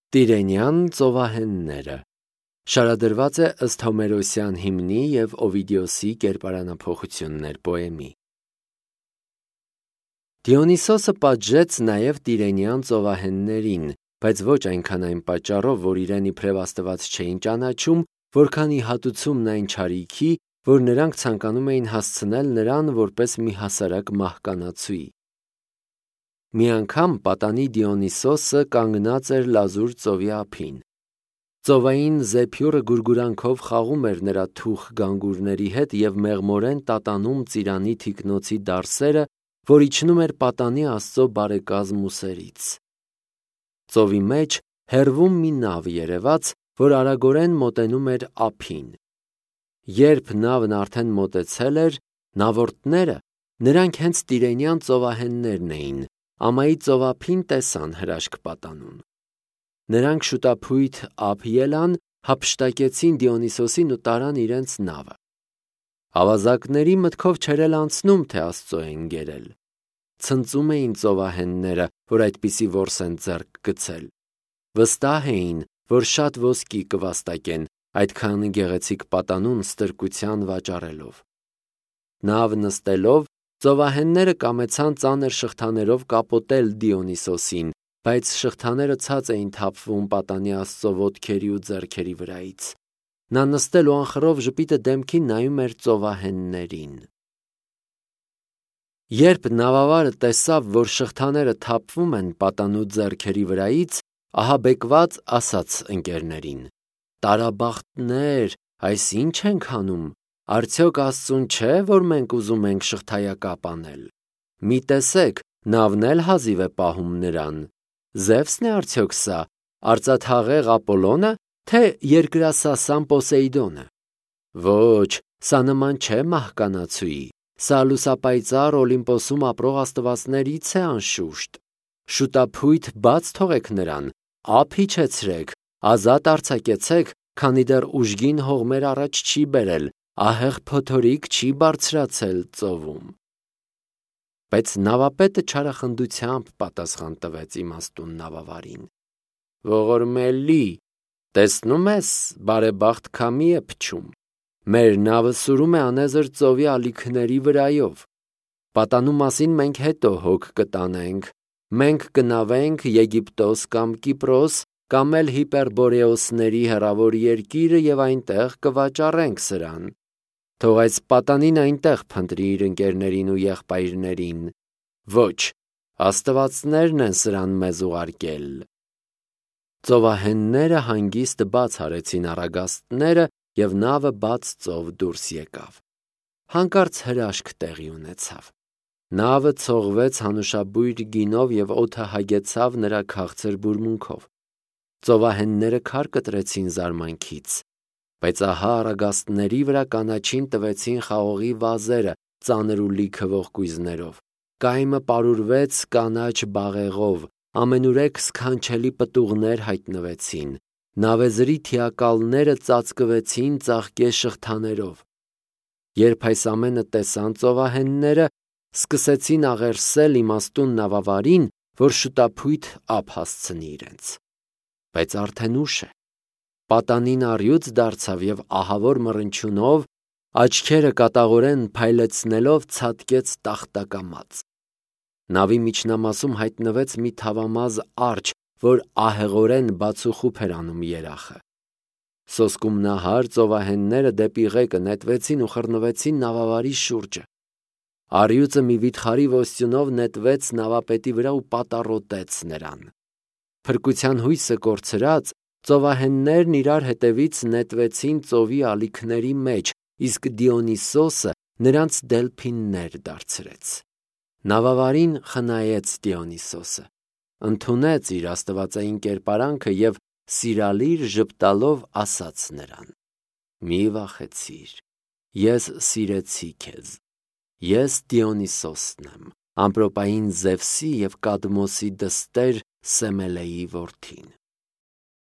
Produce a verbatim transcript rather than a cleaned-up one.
Տիրենյան ծովահենները շարադրված է ըստ Հոմերոսյան հիմնի և Օվիդիոսի կերպարանափոխություններ պոեմի։ Դիոնիսոսը պատժեց նաև Տիրենյան ծովահեններին, բայց ոչ այնքան այն պատճառով, որ իրեն իբրև Աստված չէին ճանաչում, որքան ի հատուցումն այն չարիքի, որ նրանք ցանկանում էին հասցնել նրան որպես մի հասարակ մահկանացուի։ Մի անգամ պատանի Դիոնիսոսը կանգնած էր լազուր ծովի ափին։ Ծովային զեփյուռը գուրգուրանքով խաղում էր նրա թուխ գանգուրների հետ և մեղմորեն տատանում ծիրանի թիկնոցի դարսերը, որ իջնում էր պատանի Աստծո բարեկազմ ուսերից։ Ծովի մեջ հեռվում մի նավ երևաց, որ արագորեն մոտենում էր ափին։ Երբ նավն արդեն մոտեցել էր, նավորդները, նրանք հենց Տիրենյան ծովահեններն էին, ամայի ծովափին տեսան հրաշք պատանուն։ Նրանք շուտափույթ ափ ելան, հափշտակեցին Դիոնիսոսին ու տարան իրենց նավը։ Ավազակների մտքով չէր էլ անցնում, թե Աստծո են գերել։ Ցնծում էին ծովահենները, որ այդպիսի որս են ձեռք գցել։ Վստահ էին, որ շատ ոսկի կվաստակեն, այդքան գեղեցիկ պատանուն ստրկության վաճառելով։ Նավ նստելով, ծովահենները կամեցան ծանր շղթաներով կապոտել Դիոնիսոսին, բայց շղթաները ցած էին թափվում պատանի Աստծո ոտքերի ու ձեռքերի վրայից։ Նա նստել ու անխռով ժպիտը դեմքին նայում էր ծովահեններին։ Երբ նավավարը տեսավ, որ շղթաները թափվում են պատանու ձեռքերի վրայից, ահաբեկված ասաց ընկերներին. «Տարաբախտներ, այս ի՞նչ ենք անում, արդյոք Աստծուն չէ, որ մենք ուզում ենք շղթայակապ անել։ Մի տեսեք, նավն էլ հազիվ է պահում նրան։ Զևսն է արդյոք սա, արծաթհաղեղ Ապոլոնը, թե երկրասասան Պոսեյդոնը։ Ոչ, սա նման չէ մահկանացուի, սա լուսապայծառ Օլիմպոսում ապրող աստվածներից է անշուշտ։ Շուտափույթ բաց թողեք նրան, ափ իջեցրեք, ազատ արձակեցեք, քանի դեռ ուժգին հողմեր առաջ չի բերել, ահեղ փոթորիկ չի բարձրացել ծովում»։ Բայց նավապետը չարախնդությամբ պատասխան տվեց իմաստուն նավավարին. «Ողորմելի, տեսնում ես, բարեբախտ քամի է փչում։ Մեր նավը սուրում է անեզր ծովի ալիքների վրայով։ Պատանու մասին մենք հետո հոգ կտանենք։ Մենք կնավենք Եգիպտոս կամ Կիպրոս, կամ էլ Հիպերբորեոսների հեռավոր երկիրը և այնտեղ կվաճառենք սրան։ Թող այս պատանին այնտեղ փնտրի իր ընկերներին ու եղբայրներին։ Ոչ, աստվածներն են սրան մեզ ուղարկել»։ Ծովահենները հանգիստ բաց արեցին առագաստները, և նավը բաց ծով դուրս եկավ։ Հանկարծ հրաշք տեղի ունեցավ։ Նավը ցողվեց հանուշաբույր գինով և օդը հագեցավ նրա քաղցր բուրմունքով։ Ծովահենները քար կտրեցին զարմանքից։ Բայց ահա առագաստների վրա կանաչին տվեցին խաղողի վազերը ծանր ու լիքը ողկույզներով։ Կայմը պարուրվեց կանաչ բաղեղով, ամենուրեք սքանչելի պտուղներ հայտնվեցին։ Նավեզրի թիակալները ծածկվեցին ծաղկե շղթաներով։ Երբ այս ամենը տեսան ծովահենները, սկսեցին աղերսել իմաստուն նավավարին, որ շուտափույթ ափ հասցնի իրենց։ Բայց արդեն ուշ է։ Պատանին առյուծ դարձավ և ահավոր մռնչյունով, աչքերը կատաղորեն փայլեցնելով ցատկեց տախտակամած։ Նավի միջնամասում հայտնվեց մի թավամազ արջը, որ ահեղորեն բացուխուփ էր անում երախը։ Սոսկումնահար ծովահենները դեպի ղեկը նետվեցին ու խռնվեցին նավավարի շուրջը։ Առյուծը մի վիթխարի ոստյունով նետվեց նավապետի վրա ու պատառոտեց նրան։ Փրկության հույսը կորցրած, ծովահեններն իրար հետևից նետվեցին ծովի ալիքների մեջ, իսկ Դիոնիսոսը նրանց դելփիններ դարձրեց։ Նավավարին խնայեց Դիոնիսոսը, ընդունեց իր աստվածային կերպարանքը և սիրալիր ժպտալով ասաց նրան. «Մի վախեցիր, ես սիրեցի քեզ։ Ես Դիոնիսոսն եմ, ամպրոպային Զևսի և Կադմոսի դստեր Սեմելեի որդին»։